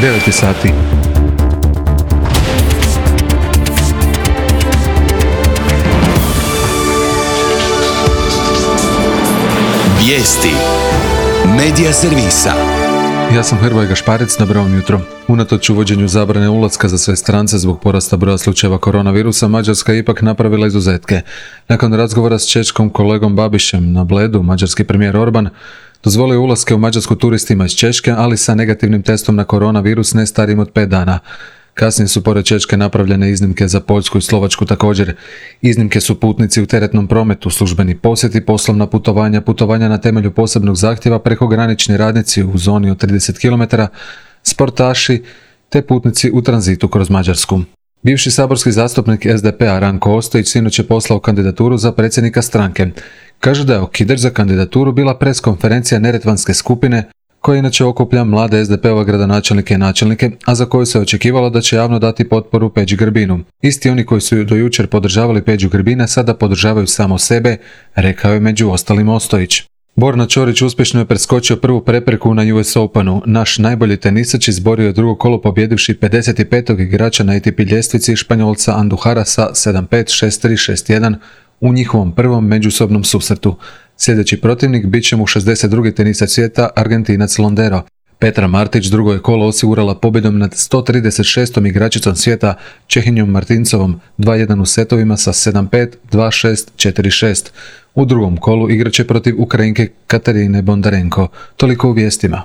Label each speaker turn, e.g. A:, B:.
A: 9 sati.
B: Vijesti Medija servisa.
A: Ja sam Hrvoje Gašparec, dobro vam jutro. Unatoč uvođenju zabrane ulaska za sve strance zbog porasta broja slučajeva koronavirusa, Mađarska je ipak napravila izuzetke. Nakon razgovora s češkom kolegom Babišem na Bledu, mađarski premijer Orban dozvolio ulaske u Mađarsku turistima iz Češke, ali sa negativnim testom na koronavirus ne starijim od 5 dana. Kasnije su pored Češke napravljene iznimke za Poljsku i Slovačku također. Iznimke su putnici u teretnom prometu, službeni posjeti, poslovna putovanja, putovanja na temelju posebnog zahtjeva, prekogranični radnici u zoni od 30 km, sportaši te putnici u tranzitu kroz Mađarsku. Bivši saborski zastupnik SDP-a Ranko Ostojić sinoć je poslao kandidaturu za predsjednika stranke. Kaže da je okidač za kandidaturu bila preskonferencija Neretvanske skupine, koja inače okuplja mlade SDP-ove gradonačelnike i načelnike, a za koju se očekivalo da će javno dati potporu Peđi Grbinu. Isti oni koji su do jučer podržavali Peđu Grbina sada podržavaju samo sebe, rekao je među ostalim Ostojić. Borna Ćorić uspješno je preskočio prvu prepreku na US Openu. Naš najbolji tenisač izborio je drugo kolo pobjedivši 55. igrača na ATP ljestvici Španjolca Anduhara sa 7-5, 6-3, 6-1 u njihovom prvom međusobnom susretu. Sljedeći protivnik bit će mu 62. tenisač svijeta Argentinac Londero. Petra Martić drugo je kolo osigurala pobjedom nad 136. igračicom svijeta Čehinjom Martincovom 2-1 u setovima sa 7-5, 2-6, 4-6. U drugom kolu igraće protiv Ukrajinke Katarine Bondarenko. Toliko u vijestima.